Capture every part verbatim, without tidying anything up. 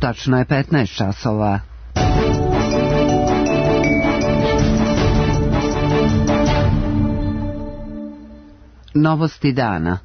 Tačno je petnaest časova. Novosti dana.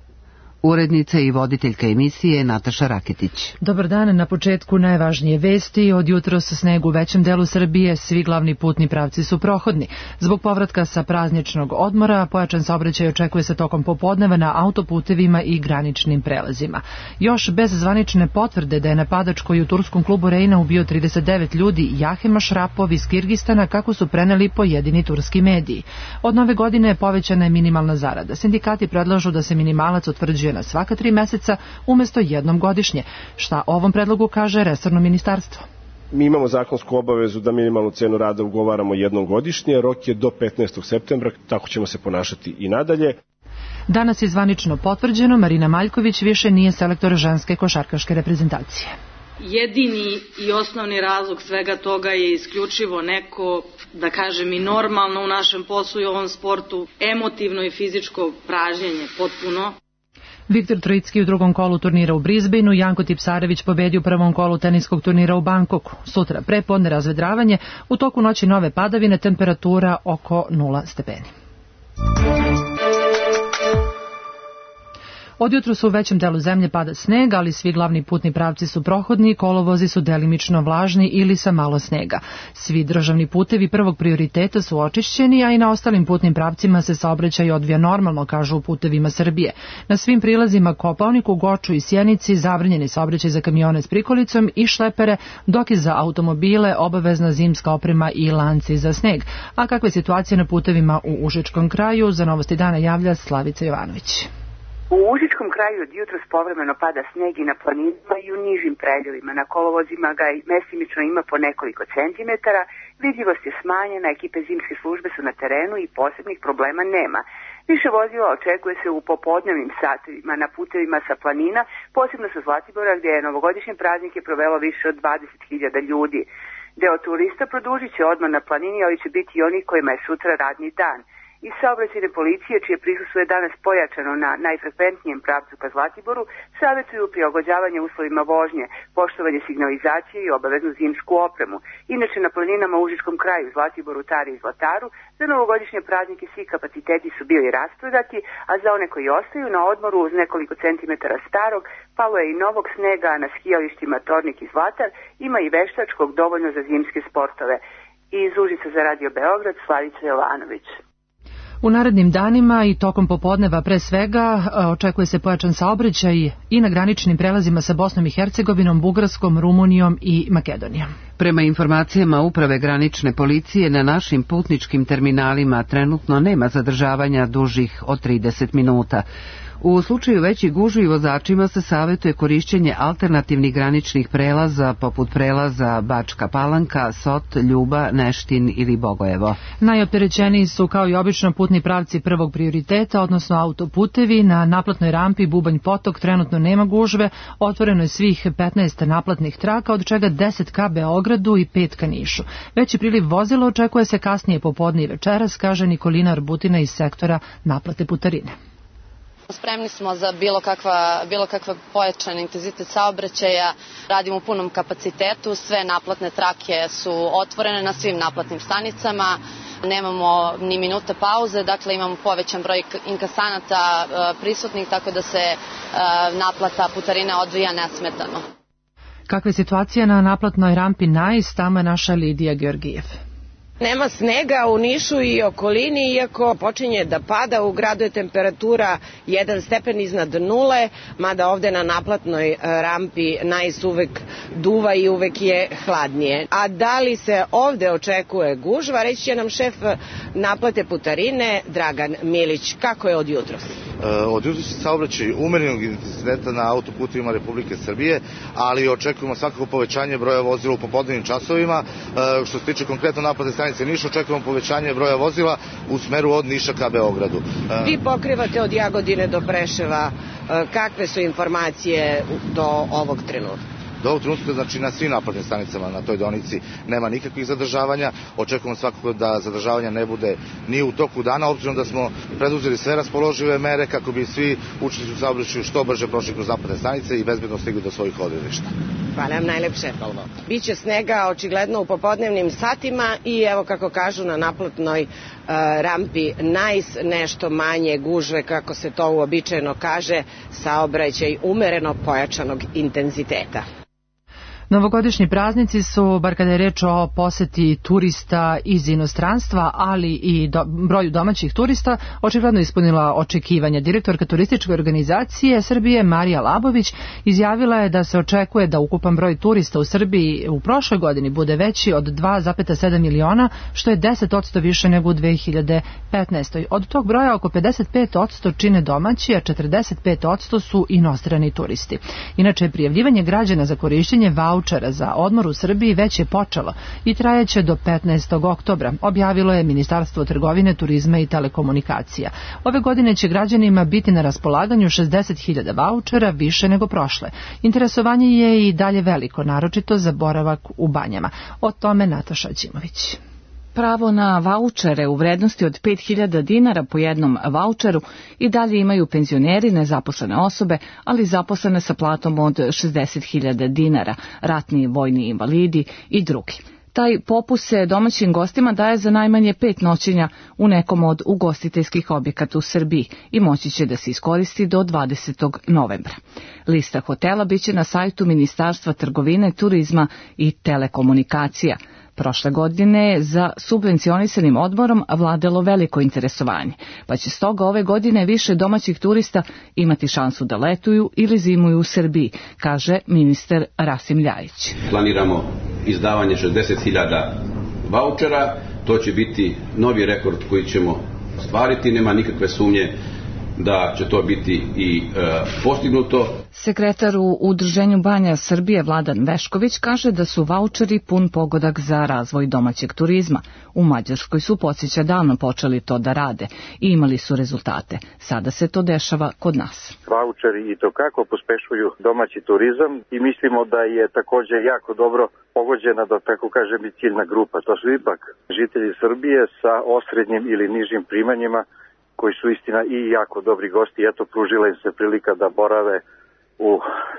Urednica i voditeljka emisije Nataša Raketić. Dobar dan, na početku najvažnije vesti. Od jutros sneg u većem delu Srbije, svi glavni putni pravci su prohodni. Zbog povratka sa prazničnog odmora, pojačan saobraćaj očekuje se tokom popodneva na autoputevima i graničnim prelazima. Još bez zvanične potvrde da je napadač koji u turskom klubu Rejna ubio trideset devet ljudi, Jahema Šrapov iz Kirgistana, kako su preneli pojedini turski mediji. Od nove godine povećana je minimalna zarada. Sindikati predlažu da se minimalac utvrđuje na svaka tri meseca umesto jednom godišnje. Šta o ovom predlogu kaže resorno ministarstvo? Mi imamo zakonsku obavezu da minimalnu cenu rada ugovaramo jednom godišnje, rok je do petnaestog septembra, tako ćemo se ponašati i nadalje. Danas je zvanično potvrđeno, Marina Maljković više nije selektor ženske košarkaške reprezentacije. Jedini i osnovni razlog svega toga je isključivo neko, da kažem i normalno u našem poslu i ovom sportu, emotivno i fizičko pražnjenje potpuno. Viktor Trojicki u drugom kolu turnira u Brisbaneu, Janko Tipsarević pobedi u prvom kolu teniskog turnira u Bankoku. Sutra prepodne razvedravanje, u toku noći nove padavine, temperatura oko nula stepeni. Od jutra su u većem delu zemlje pada sneg, ali svi glavni putni pravci su prohodni, kolovozi su delimično vlažni ili sa malo snega. Svi državni putevi prvog prioriteta su očišćeni, a i na ostalim putnim pravcima se saobraćaj odvija normalno, kažu u Putevima Srbije. Na svim prilazima Kopaoniku, Goču i Sjenici zabranjeni saobraćaj za kamione s prikolicom i šlepere, dok je za automobile obavezna zimska oprema i lanci za sneg. A kakva je situacija na putevima u Užičkom kraju? Za Novosti dana javlja Slavica Jovanović. U Užičkom kraju od jutros povremeno pada sneg i na planinama i u nižim predeljima. Na kolovozima ga mestimično ima po nekoliko centimetara, vidljivost je smanjena, ekipe zimske službe su na terenu i posebnih problema nema. Više vozila očekuje se u popodnevnim satima na putevima sa planina, posebno sa Zlatibora gdje je novogodišnje praznike provelo više od dvadeset hiljada ljudi. Deo turista produžit će odmah na planini, ali će biti i oni kojima je sutra radni dan. Iz saobraćajne policije, čije prisustvo je danas pojačano na najfrekventnijem pravcu ka Zlatiboru, savjetuju prilagođavanje uslovima vožnje, poštovanje signalizacije i obaveznu zimsku opremu. Inače, na planinama u Užičkom kraju, Zlatiboru, Tari i Zlataru, za novogodišnje praznike svi kapaciteti su bili rasprodati, a za one koji ostaju na odmoru uz nekoliko centimetara starog, palo je i novog snega, a na skijalištima Tornik i Zlatar ima i veštačkog dovoljno za zimske sportove. Iz Užica za Radio Beograd, Slavica Jovanović. U narednim danima i tokom popodneva pre svega očekuje se pojačan saobraćaj i na graničnim prelazima sa Bosnom i Hercegovinom, Bugarskom, Rumunijom i Makedonijom. Prema informacijama Uprave granične policije, na našim putničkim terminalima trenutno nema zadržavanja dužih od trideset minuta. U slučaju većih gužvi vozačima se savjetuje korišćenje alternativnih graničnih prelaza poput prelaza Bačka Palanka, Sot, Ljuba, Neštin ili Bogojevo. Najopterećeniji su kao i obično putni pravci prvog prioriteta, odnosno autoputevi. Na naplatnoj rampi Bubanj Potok trenutno nema gužve, otvoreno je svih petnaest naplatnih traka, od čega deset ka Beogradu i pet ka Nišu. Veći priliv vozila očekuje se kasnije popodne i večeras, kaže Nikolina Arbutina iz sektora naplate putarine. Spremni smo za bilo kakva, bilo kakva pojačan intenzitet saobraćaja, radimo u punom kapacitetu, sve naplatne trake su otvorene na svim naplatnim stanicama, nemamo ni minuta pauze, dakle imamo povećan broj inkasanata prisutnih, tako da se naplata putarine odvija nesmetano. Kakva je situacija na naplatnoj rampi Nais, tamo je naša Lidija Georgijev. Nema snega u Nišu i okolini, iako počinje da pada, u gradu je temperatura jedan stepen iznad nule, mada ovde na naplatnoj rampi Nais uvek duva i uvek je hladnije. A da li se ovde očekuje gužva, reći će nam šef naplate putarine Dragan Milić. Kako je od jutros? Od jutros se saobraćaj umerenog intenziteta na autoputovima Republike Srbije, ali očekujemo svakako povećanje broja vozila u popodnevnim časovima. Što se tiče konkretno naplatne stanice Niš, očekujemo povećanje broja vozila u smeru od Niša ka Beogradu. Vi pokrivate od Jagodine do Preševa. Kakve su informacije do ovog trenutka? Do ovog trenutka, znači na svim naplatnim stanicama na toj deonici nema nikakvih zadržavanja. Očekujemo svakako da zadržavanja ne bude ni u toku dana, obzirom da smo preduzeli sve raspoložive mere kako bi svi učesnici u saobraćaju što brže prošli kroz naplatne stanice i bezbedno stigli do svojih odredišta. Hvala vam najlepše. Biće snega očigledno u popodnevnim satima i evo kako kažu na naplatnoj uh, rampi Najs nešto manje gužve, kako se to uobičajeno kaže, saobraćaj umereno pojačanog intenziteta. Novogodišnji praznici su, bar kada je reč o poseti turista iz inostranstva, ali i do, broju domaćih turista, očigledno ispunila očekivanja. Direktorka turističke organizacije Srbije Marija Labović izjavila je da se očekuje da ukupan broj turista u Srbiji u prošloj godini bude veći od dva zarez sedam miliona, što je deset posto više nego u dve hiljade petnaestoj. Od tog broja oko pedeset pet posto čine domaći, a četrdeset pet posto su inostrani turisti. Inače, prijavljivanje građana za korišćenje vaučera za odmor u Srbiji već je počelo i trajeće do petnaestog oktobra, objavilo je Ministarstvo trgovine, turizma i telekomunikacija. Ove godine će građanima biti na raspolaganju šezdeset hiljada vaučera, više nego prošle. Interesovanje je i dalje veliko, naročito za boravak u banjama. O tome Nataša Ćimović. Pravo na vaučere u vrednosti od pet hiljada dinara po jednom vaučeru i dalje imaju penzioneri, nezaposlene osobe, ali zaposlene sa platom od šezdeset hiljada dinara, ratni vojni invalidi i drugi. Taj popust se domaćim gostima daje za najmanje pet noćenja u nekom od ugostiteljskih objekata u Srbiji i moći će da se iskoristi do dvadesetog novembra. Lista hotela biće na sajtu Ministarstva trgovine, turizma i telekomunikacija. Prošle godine je za subvencionisanim odmorom vladalo veliko interesovanje, pa će stoga ove godine više domaćih turista imati šansu da letuju ili zimuju u Srbiji, kaže ministar Rasim Ljajić. Planiramo izdavanje šezdeset hiljada vaučera, to će biti novi rekord koji ćemo ostvariti, nema nikakve sumnje da će to biti i e, postignuto. Sekretar u Udruženju banja Srbije Vladan Vešković kaže da su vaučeri pun pogodak za razvoj domaćeg turizma. U Mađarskoj su, podsjeća, davno počeli to da rade i imali su rezultate. Sada se to dešava kod nas. Vaučeri i to kako pospešuju domaći turizam i mislimo da je također jako dobro pogođena, da tako kažem, i ciljna grupa. To su ipak žitelji Srbije sa osrednjim ili nižim primanjima, koji su istina i jako dobri gosti. Eto, pružila im se prilika da borave u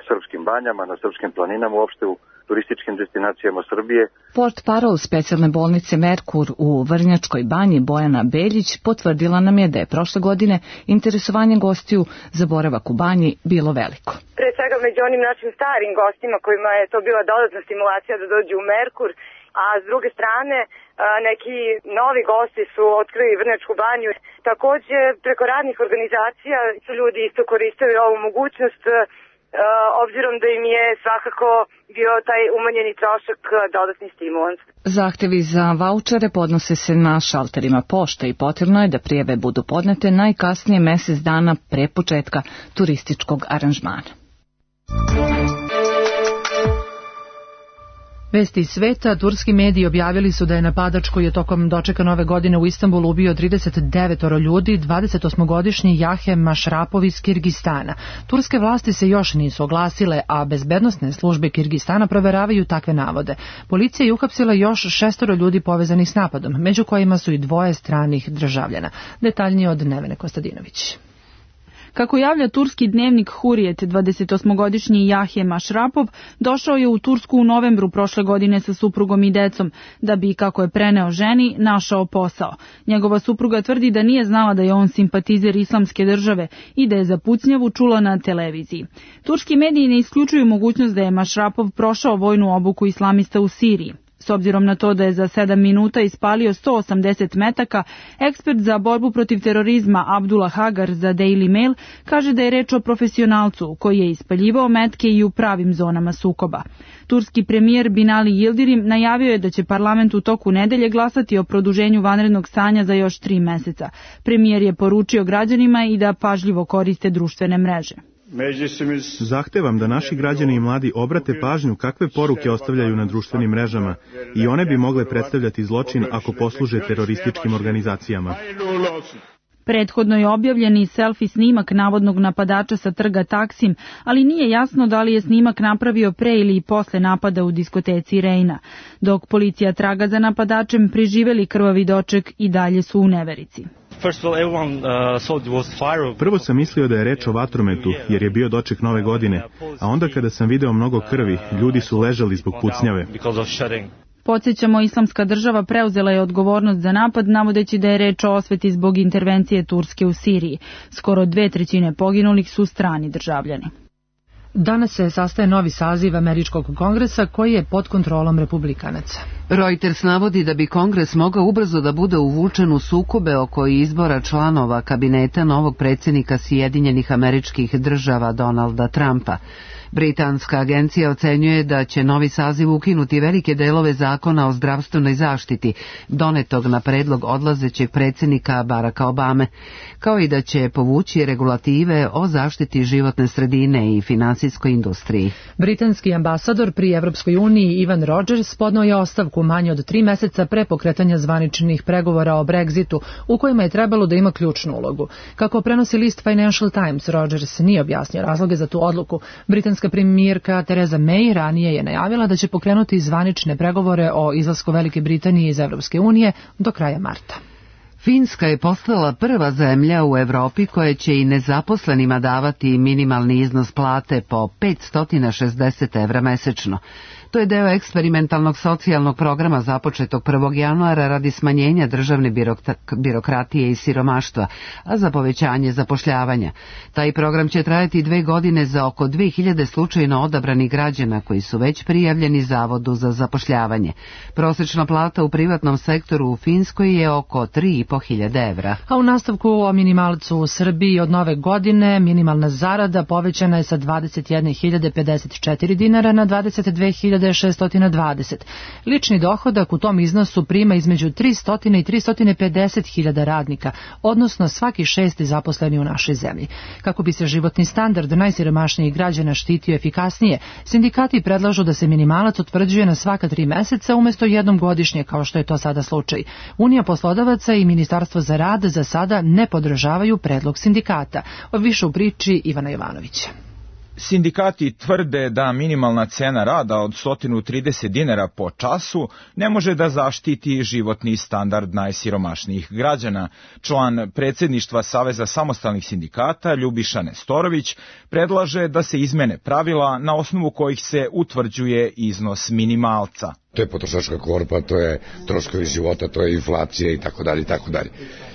srpskim banjama, na srpskim planinama, uopšte u turističkim destinacijama Srbije. Port parol specijalne bolnice Merkur u Vrnjačkoj banji Bojana Beljić potvrdila nam je da je prošle godine interesovanje gostiju za boravak u banji bilo veliko. Pre svega među onim našim starim gostima kojima je to bila dodatna stimulacija da dođu u Merkur, a s druge strane neki novi gosti su otkrili Vrnjačku banju. Također preko radnih organizacija su ljudi isto koristili ovu mogućnost, obzirom da im je svakako bio taj umanjeni trošak dodatni stimulans. Zahtevi za vaučere podnose se na šalterima pošte i potrebno je da prijave budu podnete najkasnije mesec dana pre početka turističkog aranžmana. Vesti iz sveta, turski mediji objavili su da je napadač koji je tokom dočeka nove godine u Istanbulu ubio trideset devet ljudi, dvadesetosmogodišnji Jahem Mašrapov iz Kirgistana. Turske vlasti se još nisu oglasile, a bezbednosne službe Kirgistana proveravaju takve navode. Policija je uhapsila još šestoro ljudi povezanih s napadom, među kojima su i dvoje stranih državljana. Detaljnije od Nevene Kostadinović. Kako javlja turski dnevnik Hurijet, dvadesetosmogodišnji Jahje Mašrapov došao je u Tursku u novembru prošle godine sa suprugom i decom, da bi, kako je preneo ženi, našao posao. Njegova supruga tvrdi da nije znala da je on simpatizer islamske države i da je za pucnjavu čula na televiziji. Turski mediji ne isključuju mogućnost da je Mašrapov prošao vojnu obuku islamista u Siriji. S obzirom na to da je za sedam minuta ispalio sto osamdeset metaka, ekspert za borbu protiv terorizma Abdullah Hagar za Daily Mail kaže da je reč o profesionalcu koji je ispaljivao metke i u pravim zonama sukoba. Turski premijer Binali Yildirim najavio je da će parlament u toku nedelje glasati o produženju vanrednog stanja za još tri meseca. Premijer je poručio građanima i da pažljivo koriste društvene mreže. Zahtevam da naši građani i mladi obrate pažnju kakve poruke ostavljaju na društvenim mrežama i one bi mogle predstavljati zločin ako posluže terorističkim organizacijama. Prethodno je objavljen i selfie snimak navodnog napadača sa trga Taksim, ali nije jasno da li je snimak napravio pre ili posle napada u diskoteci Reina. Dok policija traga za napadačem, preživeli krvavi doček i dalje su u neverici. Prvo sam mislio da je reč o vatrometu, jer je bio doček nove godine, a onda kada sam video mnogo krvi, ljudi su ležali zbog pucnjave. Podsjećamo, Islamska država preuzela je odgovornost za napad, navodeći da je reč o osveti zbog intervencije Turske u Siriji. Skoro dve trećine poginulih su strani državljani. Danas se sastaje novi saziv Američkog kongresa koji je pod kontrolom republikanaca. Reuters navodi da bi kongres mogao ubrzo da bude uvučen u sukobe oko izbora članova kabineta novog predsjednika Sjedinjenih Američkih Država Donalda Trumpa. Britanska agencija ocenjuje da će novi saziv ukinuti velike delove zakona o zdravstvenoj zaštiti, donetog na predlog odlazećeg predsjednika Baracka Obame, kao i da će povući regulative o zaštiti životne sredine i finansijskoj industriji. Britanski ambasador pri Evropskoj uniji Ivan Rogers podneo je ostavku manje od tri meseca pre pokretanja zvaničnih pregovora o Brexitu, u kojima je trebalo da ima ključnu ulogu. Kako prenosi list Financial Times, Rogers nije objasnio razloge za tu odluku. Britanska premijerka Theresa May ranije je najavila da će pokrenuti zvanične pregovore o izlasku Velike Britanije iz Evropske unije do kraja marta. Finska je postala prva zemlja u Evropi koja će i nezaposlenima davati minimalni iznos plate po petsto šezdeset evra mesečno. To je deo eksperimentalnog socijalnog programa započetog prvog januara radi smanjenja državne birokratije i siromaštva, a za povećanje zapošljavanja. Taj program će trajati dve godine za oko dve hiljade slučajno odabranih građana koji su već prijavljeni Zavodu za zapošljavanje. Prosječna plata u privatnom sektoru u Finskoj je oko tri i po hiljade evra. A u nastavku o minimalcu u Srbiji od nove godine minimalna zarada povećana je sa dvadeset jedne hiljade pedeset četiri dinara na dvadeset dve hiljade šeststo dvadeset. Lični dohodak u tom iznosu prima između tristo i tristo pedeset hiljada radnika, odnosno svaki šesti zaposleni u našoj zemlji. Kako bi se životni standard najsiromašnijih građana štitio efikasnije, sindikati predlažu da se minimalac utvrđuje na svaka tri meseca umjesto jednom godišnje, kao što je to sada slučaj. Unija poslodavaca i Ministarstvo za rad za sada ne podržavaju predlog sindikata. Više u priči Ivana Jovanovića. Sindikati tvrde da minimalna cena rada od sto trideset dinara po času ne može da zaštiti životni standard najsiromašnijih građana. Član predsjedništva Saveza samostalnih sindikata Ljubiša Nestorović predlaže da se izmene pravila na osnovu kojih se utvrđuje iznos minimalca. To je potrošačka korpa, to je troškovi života, to je inflacija i tako dalje i tako dalje.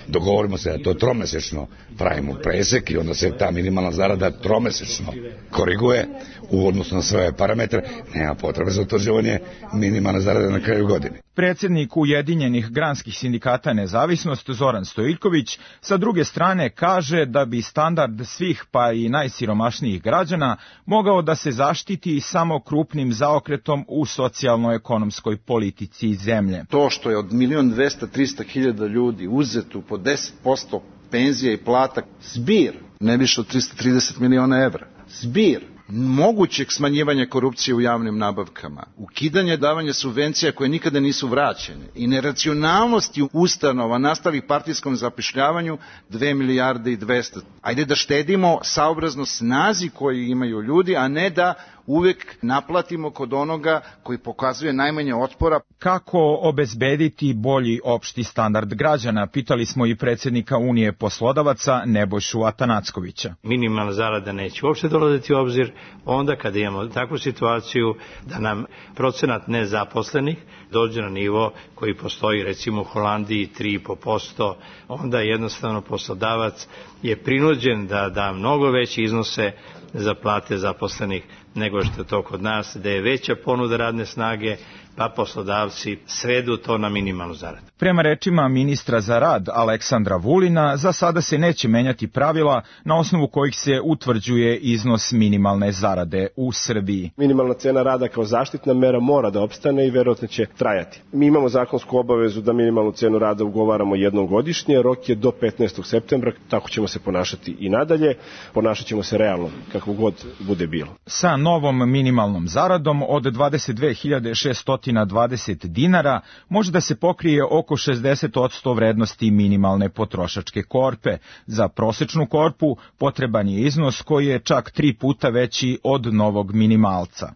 Dogovorimo se da to tromesečno pravimo presek i onda se ta minimalna zarada tromesečno koriguje u odnosu na sve parametre. Nema potrebe za utvrđivanje minimalne zarade na kraju godine. Predsjednik Ujedinjenih granskih sindikata Nezavisnost Zoran Stojiljković sa druge strane kaže da bi standard svih pa i najsiromašnijih građana mogao da se zaštiti samo krupnim zaokretom u socijalno-ekonomskoj politici zemlje. To što je od milion dvesta trista hiljada ljudi uzeto po deset posto penzija i plata, zbir ne više od tristo trideset miliona evra, zbir mogućeg smanjivanja korupcije u javnim nabavkama, ukidanje davanja subvencija koje nikada nisu vraćene i neracionalnosti ustanova nastalih partijskom zapošljavanju dve milijarde i dvesta. Ajde da štedimo saobrazno snazi koju imaju ljudi, a ne da uvek naplatimo kod onoga koji pokazuje najmanje otpora. Kako obezbediti bolji opšti standard građana, pitali smo i predsjednika Unije poslodavaca Nebojšu Atanackovića. Minimalna zarada neće uopšte dolaziti u obzir onda kada imamo takvu situaciju da nam procenat nezaposlenih dođe na nivo koji postoji recimo u Holandiji tri i po posto, onda jednostavno poslodavac je prinuđen da da mnogo veće iznose za plate zaposlenih nego što je to kod nas, da je veća ponuda radne snage, pa poslodavci svedu to na minimalnu zaradu. Prema rečima ministra za rad Aleksandra Vulina, za sada se neće menjati pravila na osnovu kojih se utvrđuje iznos minimalne zarade u Srbiji. Minimalna cena rada kao zaštitna mera mora da opstane i verovatno će trajati. Mi imamo zakonsku obavezu da minimalnu cenu rada ugovaramo jednom godišnje, rok je do petnaestog septembra, tako ćemo se ponašati i nadalje, ponašat ćemo se realno, kako god bude bilo. Sa novom minimalnom zaradom od dvadeset dve hiljade šeststo dvadeset dinara može da se pokrije oko šezdeset posto vrednosti minimalne potrošačke korpe. Za prosečnu korpu potreban je iznos koji je čak tri puta veći od novog minimalca.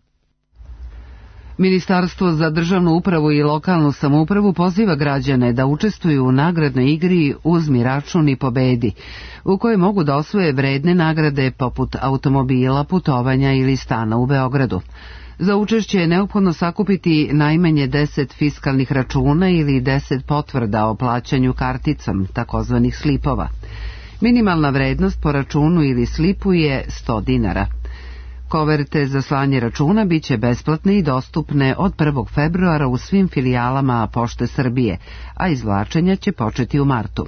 Ministarstvo za državnu upravu i lokalnu samoupravu poziva građane da učestvuju u nagradnoj igri Uzmi račun i pobedi, u kojoj mogu da osvoje vredne nagrade poput automobila, putovanja ili stana u Beogradu. Za učešće je neophodno sakupiti najmanje deset fiskalnih računa ili deset potvrda o plaćanju karticom, takozvanih slipova. Minimalna vrednost po računu ili slipu je sto dinara. Koverte za slanje računa biće besplatne i dostupne od prvog februara u svim filijalama Pošte Srbije, a izvlačenja će početi u martu.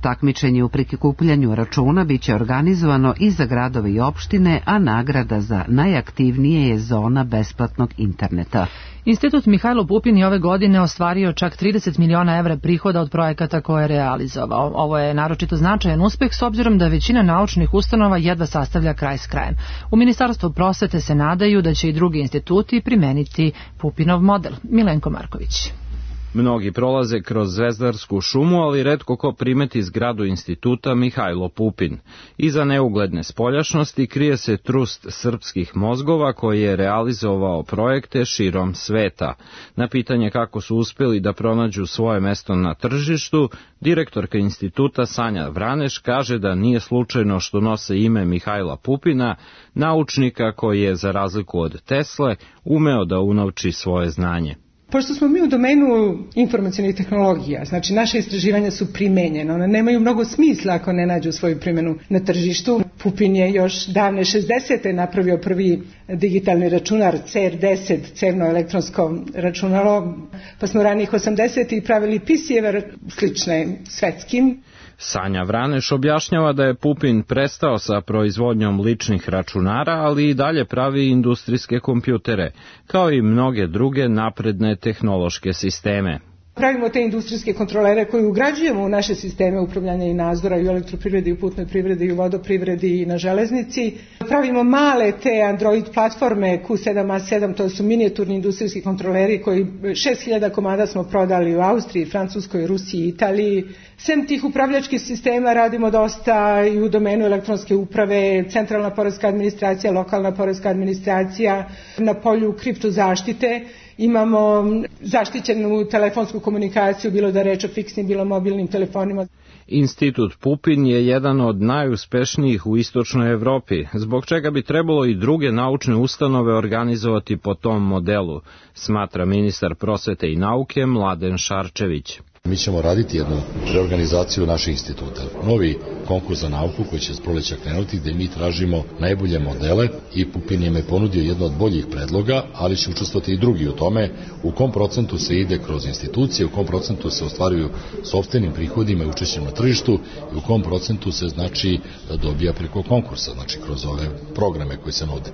Takmičenje u prikupljanju računa biće organizovano i za gradove i opštine, a nagrada za najaktivnije je zona besplatnog interneta. Institut Mihajlo Pupin je ove godine ostvario čak trideset miliona evra prihoda od projekata koje je realizovao. Ovo je naročito značajan uspeh s obzirom da većina naučnih ustanova jedva sastavlja kraj s krajem. U Ministarstvu prosvete se nadaju da će i drugi instituti primeniti Pupinov model. Milenko Marković. Mnogi prolaze kroz Zvezdarsku šumu, ali retko ko primeti zgradu instituta Mihajlo Pupin. Iza neugledne spoljašnosti krije se trust srpskih mozgova koji je realizovao projekte širom sveta. Na pitanje kako su uspeli da pronađu svoje mesto na tržištu, direktorka instituta Sanja Vraneš kaže da nije slučajno što nose ime Mihajla Pupina, naučnika koji je, za razliku od Tesle, umeo da unovči svoje znanje. Pošto smo mi u domenu informacionih tehnologija, znači naše istraživanja su primenjene, one nemaju mnogo smisla ako ne nađu svoju primjenu na tržištu. Pupin je još davne šezdesete napravio prvi digitalni računar C R deset, cerno elektronsko računalo, pa smo ranih osamdesetih pravili P C-eve slične svetskim. Sanja Vraneš objašnjava da je Pupin prestao sa proizvodnjom ličnih računara, ali i dalje pravi industrijske kompjutere, kao i mnoge druge napredne tehnološke sisteme. Pravimo te industrijske kontrolere koje ugrađujemo u naše sisteme upravljanja i nadzora i u elektroprivredi, i u putnoj privredi, i u vodoprivredi i na železnici. Pravimo male te Android platforme Q sedam A sedam, to su minijaturni industrijski kontroleri koji šest hiljada komada smo prodali u Austriji, Francuskoj, Rusiji i Italiji. Sem tih upravljačkih sistema radimo dosta i u domenu elektronske uprave, centralna poreska administracija, lokalna poreska administracija, na polju kriptozaštite. Imamo zaštićenu telefonsku komunikaciju, bilo da reč o fiksnim, bilo mobilnim telefonima. Institut Pupin je jedan od najuspešnijih u istočnoj Evropi, zbog čega bi trebalo i druge naučne ustanove organizovati po tom modelu, smatra ministar prosvete i nauke Mladen Šarčević. Mi ćemo raditi jednu reorganizaciju naših instituta. Novi konkurs za nauku koji će s proleća krenuti, gde mi tražimo najbolje modele i Pupin je me ponudio jedno od boljih predloga, ali će učestvovati i drugi u tome u kom procentu se ide kroz institucije, u kom procentu se ostvaruju sopstvenim prihodima i učešćem na tržištu i u kom procentu se znači dobija preko konkursa, znači kroz ove programe koji se nude.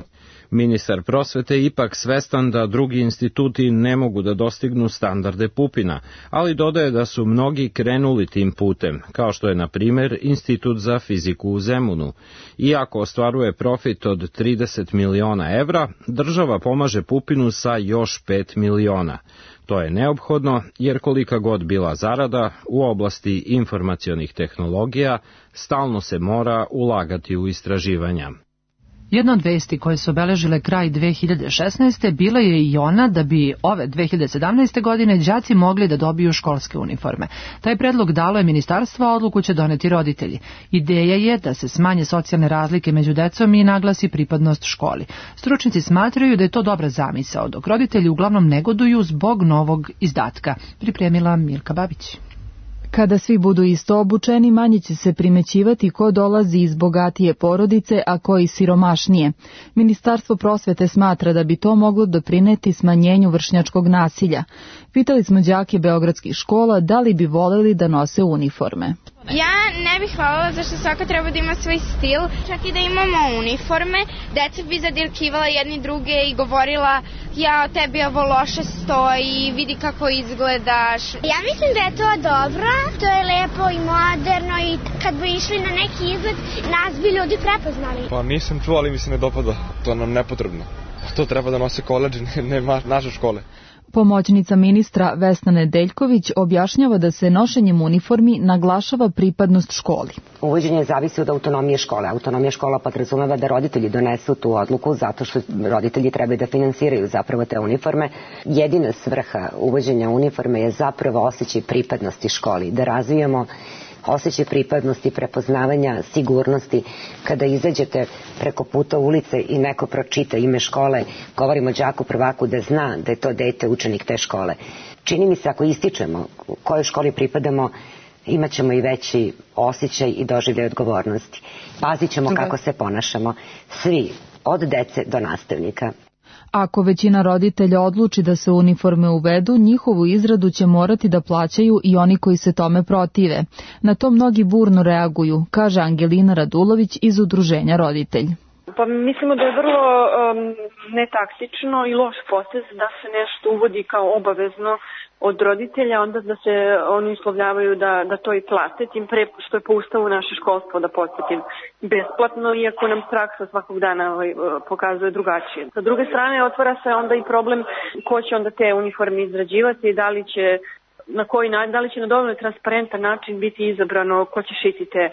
Ministar prosvete ipak svestan da drugi instituti ne mogu da dostignu standarde Pupina, ali dodaje da su mnogi krenuli tim putem, kao što je na primer Institut za fiziku u Zemunu. Iako ostvaruje profit od trideset miliona evra, država pomaže Pupinu sa još pet miliona. To je neophodno jer kolika god bila zarada u oblasti informacionih tehnologija, stalno se mora ulagati u istraživanja. Jedna od vesti koje su obeležile kraj dve hiljade šesnaeste. bila je i ona da bi ove dve hiljade sedamnaeste. godine đaci mogli da dobiju školske uniforme. Taj predlog dalo je ministarstvo, a odluku će doneti roditelji. Ideja je da se smanje socijalne razlike među decom i naglasi pripadnost školi. Stručnici smatraju da je to dobra zamisao, dok roditelji uglavnom negoduju zbog novog izdatka. Pripremila Milka Babić. Kada svi budu isto obučeni, manje će se primećivati ko dolazi iz bogatije porodice, a ko iz siromašnije. Ministarstvo prosvete smatra da bi to moglo doprineti smanjenju vršnjačkog nasilja. Pitali smo đake beogradskih škola da li bi voleli da nose uniforme. Ja ne bih voljela zašto svaka treba da ima svoj stil, čak i da imamo uniforme, deca bi zadirkivala jedni druge i govorila ja tebi ovo loše stoji, vidi kako izgledaš. Ja mislim da je to dobro, to je lepo i moderno i kad bi išli na neki izlet nas bi ljudi prepoznali. Pa nisam čuo, ali mi se ne dopada, to nam nepotrebno. to treba da nose koledži, ne, ne naše škole. Pomoćnica ministra Vesna Nedeljković objašnjava da se nošenjem uniformi naglašava pripadnost školi. Uvođenje zavisi od autonomije škole. Autonomija škola podrazumeva da roditelji donesu tu odluku zato što roditelji trebaju da finansiraju zapravo te uniforme. Jedina svrha uvođenja uniforme je zapravo osjećaj pripadnosti školi, da razvijamo osjećaj pripadnosti, prepoznavanja, sigurnosti. Kada izađete preko puta ulice i neko pročita ime škole, govorimo đaku prvaku da zna da je to dete učenik te škole. Čini mi se ako ističemo kojoj školi pripadamo, imat ćemo i veći osjećaj i doživljaj odgovornosti. Pazit ćemo kako se ponašamo. Svi, od dece do nastavnika. Ako većina roditelja odluči da se uniforme uvedu, njihovu izradu će morati da plaćaju i oni koji se tome protive. Na to mnogi burno reaguju, kaže Angelina Radulović iz Udruženja Roditelj. Pa mislimo da je vrlo um, netaktično i loš potez da se nešto uvodi kao obavezno od roditelja, onda da se oni uslovljavaju da, da to i plate, tim pre što je po ustavu naše školstvo, da podsjetim, besplatno, iako nam praksa svakog dana ovaj, pokazuje drugačije. Sa druge strane, otvara se onda i problem ko će onda te uniforme izrađivati i da li će na koji način, da li će na dovoljno transparentan način biti izabrano ko će šiti te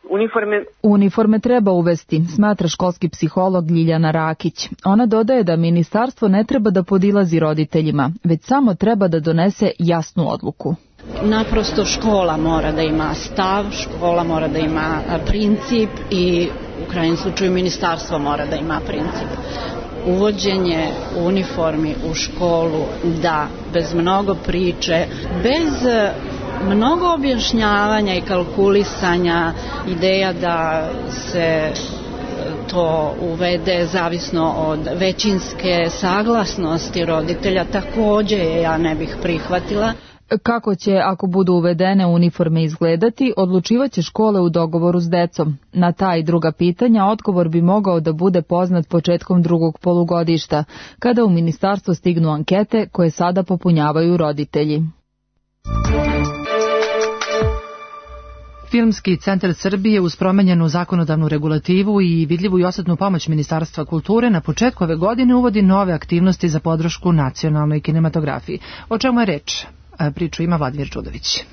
uniforme. Uniforme treba uvesti, smatra školski psiholog Ljiljana Rakić. Ona dodaje da ministarstvo ne treba da podilazi roditeljima, već samo treba da donese jasnu odluku. Naprosto škola mora da ima stav, škola mora da ima princip i u krajnjem slučaju ministarstvo mora da ima princip. Uvođenje uniformi u školu, da, bez mnogo priče, bez mnogo objašnjavanja i kalkulisanja, ideja da se to uvede zavisno od većinske saglasnosti roditelja, takođe ja ne bih prihvatila. Kako će, ako budu uvedene uniforme, izgledati, odlučivaće škole u dogovoru s decom. Na ta i druga pitanja odgovor bi mogao da bude poznat početkom drugog polugodišta, kada u ministarstvo stignu ankete koje sada popunjavaju roditelji. Filmski centar Srbije uz promenjenu zakonodavnu regulativu i vidljivu i osetnu pomoć Ministarstva kulture na početku ove godine uvodi nove aktivnosti za podršku nacionalnoj kinematografiji. O čemu je reč? Priču ima Vladimir Čudović.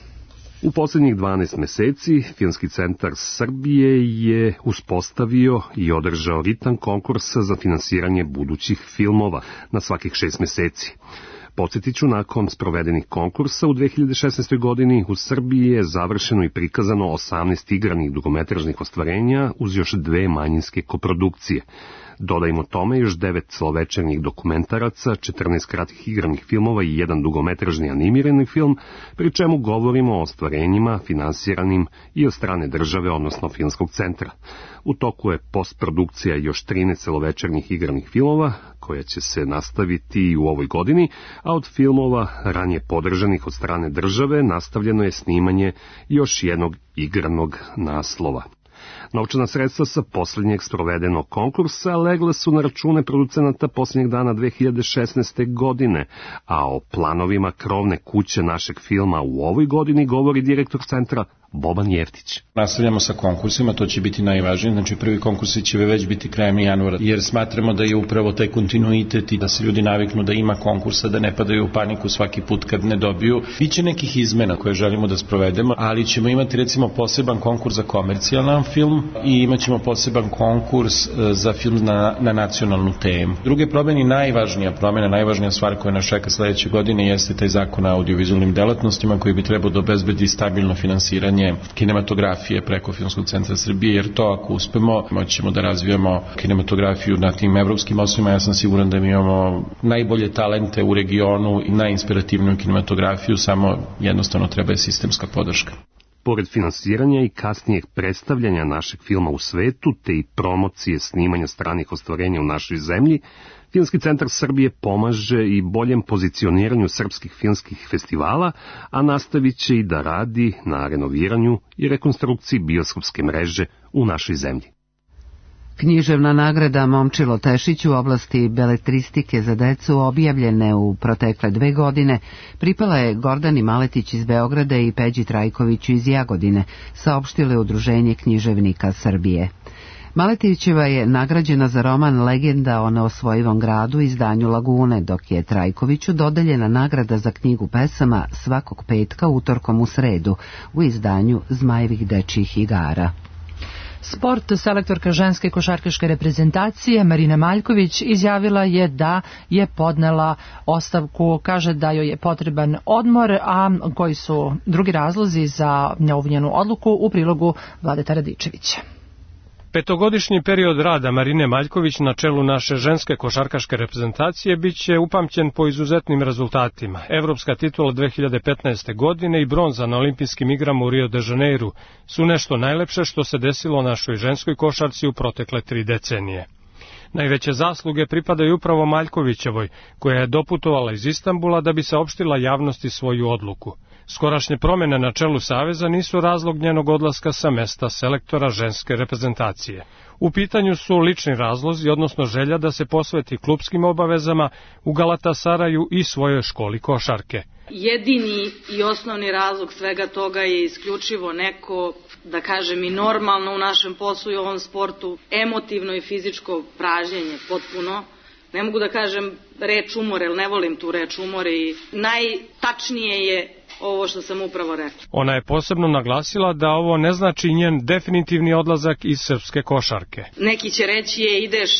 U posljednjih dvanaest meseci Filmski centar Srbije je uspostavio i održao ritam konkursa za finansiranje budućih filmova na svakih šest meseci. Podsjetit ću, nakon sprovedenih konkursa u dve hiljade šesnaestoj. godini u Srbiji je završeno i prikazano osamnaest igranih dugometražnih ostvarenja uz još dve manjinske koprodukcije. Dodajmo tome još devet celovečernjih dokumentaraca, četrnaest kratkih igranih filmova i jedan dugometražni animirani film, pri čemu govorimo o ostvarenjima finansiranim i od strane države, odnosno Filmskog centra. U toku je postprodukcija još trinaest celovečernjih igranih filmova, koja će se nastaviti i u ovoj godini, a od filmova ranije podržanih od strane države nastavljeno je snimanje još jednog igranog naslova. Novčana sredstva sa posljednjeg sprovedenog konkursa legla su na račune producenata posljednjeg dana dve hiljade šesnaeste. godine, a o planovima krovne kuće našeg filma u ovoj godini govori direktor centra Boban Jeftić. Nastavljamo sa konkursima, to će biti najvažnije, znači prvi konkursi će već biti krajem januara, jer smatramo da je upravo taj kontinuitet i da se ljudi naviknu da ima konkursa, da ne padaju u paniku svaki put kad ne dobiju. Biće nekih izmena koje želimo da sprovedemo, ali ćemo imati recimo poseban konkurs za komercijalan film i imat ćemo poseban konkurs za film na, na nacionalnu temu. Druge promjene, najvažnija promjena, najvažnija stvar koja nas čeka sledeće godine jeste taj zakon o audiovizualnim delatnostima koji bi trebao da obezbedi stabilno finansiranje kinematografije preko Filmskog centra Srbije, jer to ako uspemo, moćemo da razvijamo kinematografiju na tim evropskim osnovima. Ja sam siguran da mi imamo najbolje talente u regionu i najinspirativniju kinematografiju, samo jednostavno treba je sistemska podrška. Pored finansiranja i kasnijeg predstavljanja našeg filma u svetu, te i promocije snimanja stranih ostvarenja u našoj zemlji, Filmski centar Srbije pomaže i boljem pozicioniranju srpskih filmskih festivala, a nastavit će i da radi na renoviranju i rekonstrukciji bioskopske mreže u našoj zemlji. Književna nagrada Momčilo Tešić u oblasti beletristike za decu, objavljene u protekle dve godine, pripala je Gordani Maletić iz Beograda i Peđi Trajkoviću iz Jagodine, saopštile Udruženje književnika Srbije. Maletićeva je nagrađena za roman Legenda o neosvojivom gradu izdanju Lagune, dok je Trajkoviću dodeljena nagrada za knjigu pesama svakog petka utorkom u sredu u izdanju Zmajevih dečjih igara. Sport, selektorka ženske košarkaške reprezentacije Marina Maljković izjavila je da je podnela ostavku, kaže da joj je potreban odmor, a koji su drugi razlozi za ovu njenu odluku u prilogu Vladeta Radičevića. Petogodišnji period rada Marine Maljković na čelu naše ženske košarkaške reprezentacije biće upamćen po izuzetnim rezultatima. Evropska titula dve hiljade petnaeste. godine i bronza na olimpijskim igrama u Rio de Janeiru su nešto najlepše što se desilo našoj ženskoj košarci u protekle tri decenije. Najveće zasluge pripadaju upravo Maljkovićevoj, koja je doputovala iz Istanbula da bi saopštila javnosti svoju odluku. Skorašnje promjene na čelu Saveza nisu razlog njenog odlaska sa mesta selektora ženske reprezentacije. U pitanju su lični razlozi, odnosno želja da se posveti klupskim obavezama u Galatasaraju i svojoj školi košarke. Jedini i osnovni razlog svega toga je isključivo neko, da kažem i normalno u našem poslu i ovom sportu, emotivno i fizičko pražnjenje potpuno. Ne mogu da kažem reč umor, jer ne volim tu reč umor i najtačnije je ovo što sam upravo rekla. Ona je posebno naglasila da ovo ne znači njen definitivni odlazak iz srpske košarke. Neki će reći je ideš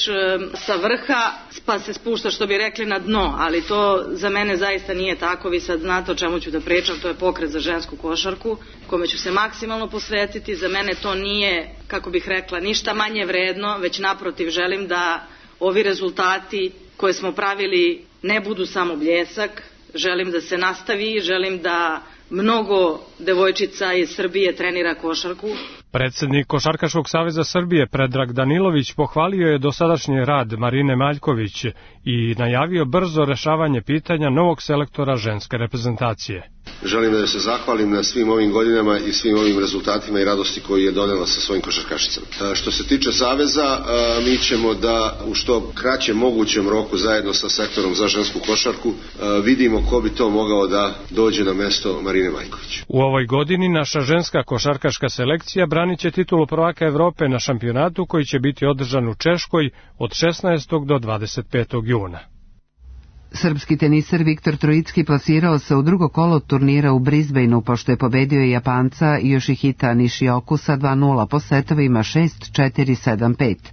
sa vrha pa se spušta, što bi rekli, na dno, ali to za mene zaista nije tako. Vi sad znate o čemu ću da pričam, to je pokret za žensku košarku kome ću se maksimalno posvetiti. Za mene to nije, kako bih rekla, ništa manje vredno, već naprotiv želim da ovi rezultati koje smo pravili ne budu samo bljesak. Želim da se nastavi, želim da mnogo devojčica iz Srbije trenira košarku. Predsjednik Košarkaškog saveza Srbije Predrag Danilović pohvalio je dosadašnji rad Marine Maljković i najavio brzo rešavanje pitanja novog selektora ženske reprezentacije. Želim da se zahvalim na svim ovim godinama i svim ovim rezultatima i radosti koju je donela sa svojim košarkašicama. Što se tiče Saveza, mi ćemo da u što kraćem mogućem roku zajedno sa sektorom za žensku košarku vidimo ko bi to mogao da dođe na mesto Marine Maljković. U ovoj godini naša ženska košarkaška selekcija branit će titulu prvaka Evrope na šampionatu koji će biti održan u Češkoj od šesnaestog do dvadeset petog juna. Srpski teniser Viktor Trojicki plasirao se u drugo kolo turnira u Brisbaneu pošto je pobedio Japanca Yoshihita Nishioku sa dva nula po setovima šest četiri sedam pet.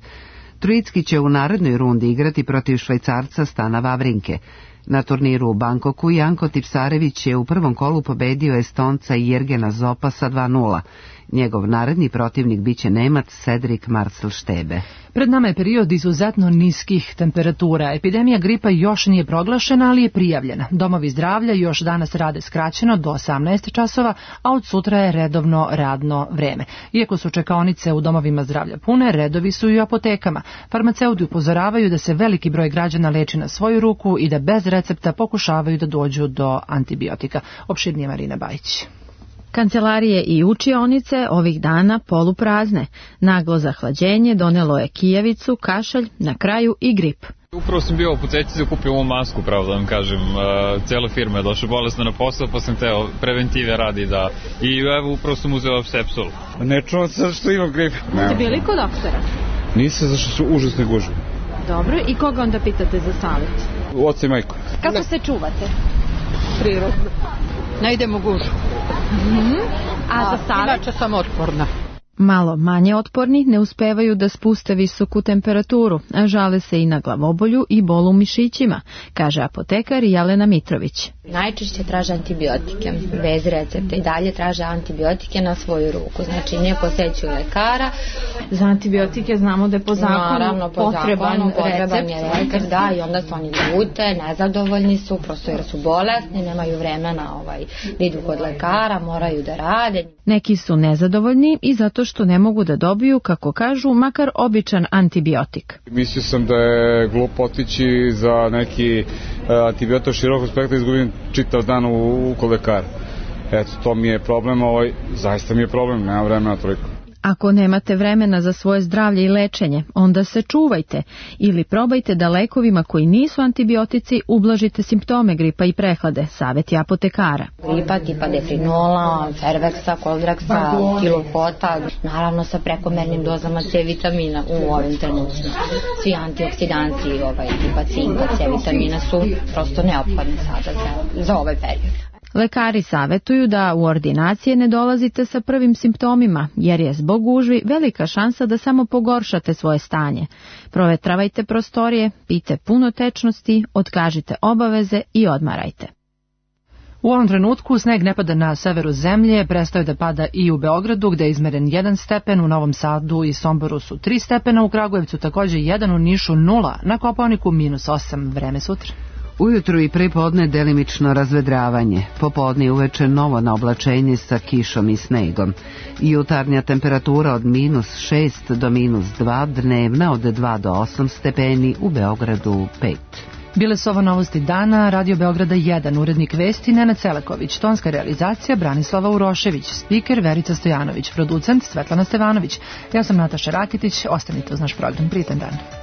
Trojicki će u narednoj rundi igrati protiv Švajcarca Stana Wawrinke. Na turniru u Bangkoku Janko Tipsarević je u prvom kolu pobedio Estonca Jergena Zopa sa dva nula. Njegov naredni protivnik biće Nemac Cedric Marcel Štebe. Pred nama je period izuzetno niskih temperatura. Epidemija gripa još nije proglašena, ali je prijavljena. Domovi zdravlja još danas rade skraćeno do osamnaest časova, a od sutra je redovno radno vreme. Iako su čekaonice u domovima zdravlja pune, redovi su i u apotekama. Farmaceuti upozoravaju da se veliki broj građana leči na svoju ruku i da bez recepta pokušavaju da dođu do antibiotika. Opširnije Marina Bajić. Kancelarije i učionice ovih dana poluprazne. Naglo zahlađenje donelo je kijevicu, kašalj, na kraju i grip. Upravo sam bio u apoteci za kupio ovu masku, pravo da vam kažem. Cijela firma je došla bolesna na posao, pa sam teo preventive radi da... I evo, upravo sam uzeo Sepsol. Ne čuvam se što imam grip. Ste bili kod doktora? Nisam, zašto su užasne gužve. Dobro, i koga onda pitate za savjet? Oca i majku. Kako se čuvate? Prirodno. Ne idem u gužu. Mm-hmm. A, A za savjet? Inače sam otporna. Malo manje otporni ne uspevaju da spuste visoku temperaturu, a žale se i na glavobolju i bolu u mišićima, kaže apotekar Jelena Mitrović. Najčešće traže antibiotike, bez recepta i dalje traže antibiotike na svoju ruku, znači ne posećuju lekara. Za antibiotike znamo da je po zakonu Naravno, po potreban, zakonu, potreban recept. je recept, da, i onda su oni ljute, nezadovoljni su, prosto jer su bolesni, nemaju vremena ovaj, da idu kod lekara, moraju da rade. Neki su nezadovoljni i zato što ne mogu da dobiju, kako kažu, makar običan antibiotik. Mislio sam da je glupo otići za neki uh, antibiotik širokog spektra, izgubim čitav dan u, u kod lekara. Eto, to mi je problem, ovaj, zaista mi je problem, nema vremena toliko. Ako nemate vremena za svoje zdravlje i lečenje, onda se čuvajte ili probajte da lekovima koji nisu antibiotici ublažite simptome gripa i prehlade, savjet je apotekara. Gripa tipa defrinola, ferveksa, koldraksa, kilofota, naravno sa prekomernim dozama C vitamina u ovim trenucima. Svi antioksidanti ovaj, tipa cinka, C vitamina su prosto neophodni sada za, za ovaj period. Lekari savjetuju da u ordinacije ne dolazite sa prvim simptomima, jer je zbog gužvi velika šansa da samo pogoršate svoje stanje. Provetravajte prostorije, pijte puno tečnosti, otkažite obaveze i odmarajte. U ovom trenutku sneg ne pada na severu zemlje, prestao da pada i u Beogradu gde je izmeren jedan stepen, u Novom Sadu i Somboru su tri stepena, u Kragujevcu takođe jedan, u Nišu nula, na Kopaoniku minus osam, vreme sutra. Ujutru i prepodne delimično razvedravanje, popodne i uveče novo naoblačenje sa kišom i snegom. Jutarnja temperatura od minus šest do minus dva, dnevna od dva do osam stepeni, u Beogradu pet. Bile su ovo novosti dana, Radio Beograda jedan, urednik vesti Nenad Celaković, tonska realizacija Branislava Urošević, spiker Verica Stojanović, producent Svetlana Stevanović. Ja sam Nataša Rakitić, ostanite uz naš program, prijetan dan.